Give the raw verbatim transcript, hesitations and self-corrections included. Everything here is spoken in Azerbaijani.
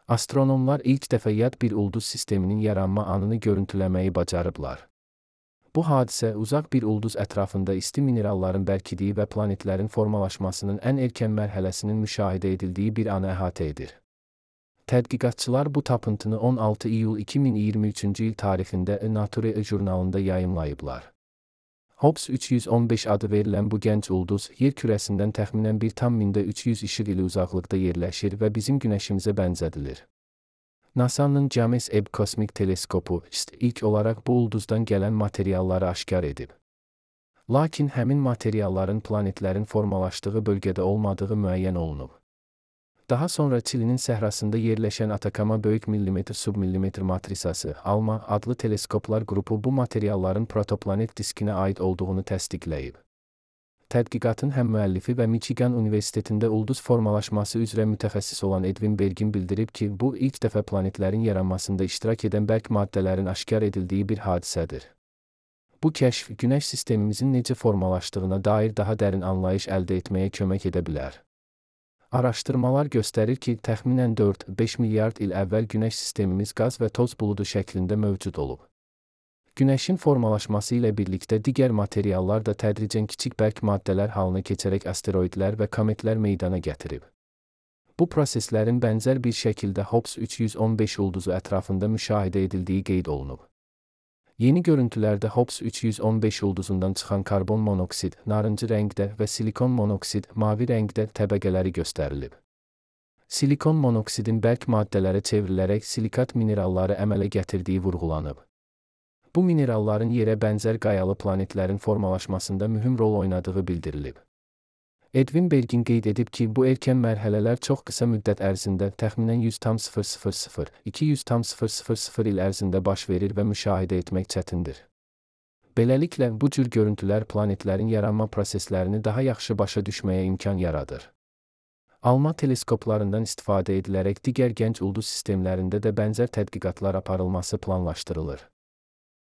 Astronomlar ilk dəfə yad bir ulduz sisteminin yaranma anını görüntüləməyi bacarıblar. Bu hadisə uzaq bir ulduz ətrafında isti mineralların bərkidiyi və planetlərin formalaşmasının ən erkən mərhələsinin müşahidə edildiyi bir anı əhatə edir. Tədqiqatçılar bu tapıntını on altı iyul iki min iyirmi üçüncü il tarixində Nature jurnalında yayımlayıblar. Hobbs üç yüz on beş adı verilən bu gənc ulduz, yer kürəsindən təxminən bir tam mində üç yüz işıq ili uzaqlıqda yerləşir və bizim Günəşimizə bənzədilir. NASA'nın James Webb Kosmik Teleskopu ilk olaraq bu ulduzdan gələn materialları aşkar edib. Lakin həmin materialların planetlərin formalaşdığı bölgədə olmadığı müəyyən olunub. Daha sonra Çilinin səhrasında yerləşən Atacama Böyük Millimetr Submillimetr Matrisası ALMA adlı teleskoplar qrupu bu materialların protoplanet diskinə aid olduğunu təsdiqləyib. Tədqiqatın həm müəllifi və Michigan Universitetində ulduz formalaşması üzrə mütəxəssis olan Edwin Bergin bildirib ki, bu ilk dəfə planetlərin yaranmasında iştirak edən bərk maddələrin aşkar edildiyi bir hadisədir. Bu kəşf, Günəş sistemimizin necə formalaşdığına dair daha dərin anlayış əldə etməyə kömək edə bilər. Araşdırmalar göstərir ki, təxminən dörd beş milyard il əvvəl Günəş sistemimiz qaz və toz buludu şəklində mövcud olub. Günəşin formalaşması ilə birlikdə digər materiallar da tədricən kiçik bərk maddələr halına keçərək asteroidlər və kometlər meydana gətirib. Bu proseslərin bənzər bir şəkildə Hobbs üç yüz on beş ulduzu ətrafında müşahidə edildiyi qeyd olunub. Yeni görüntülərdə Hobbs üç yüz on beş ulduzundan çıxan karbon monoksid, narıncı rəngdə və silikon monoksid, mavi rəngdə təbəqələri göstərilib. Silikon monoksidin bərk maddələrə çevrilərək silikat mineralları əmələ gətirdiyi vurğulanıb. Bu mineralların yerə bənzər qayalı planetlərin formalaşmasında mühüm rol oynadığı bildirilib. Edwin Bergin qeyd edib ki, bu erkən mərhələlər çox qısa müddət ərzində təxminən yüz tam sıfır sıfır sıfır iki yüz tam sıfır sıfır sıfır il ərzində baş verir və müşahidə etmək çətindir. Beləliklə, bu cür görüntülər planetlərin yaranma proseslərini daha yaxşı başa düşməyə imkan yaradır. ALMA teleskoplarından istifadə edilərək digər gənc ulduz sistemlərində də bənzər tədqiqatlar aparılması planlaşdırılır.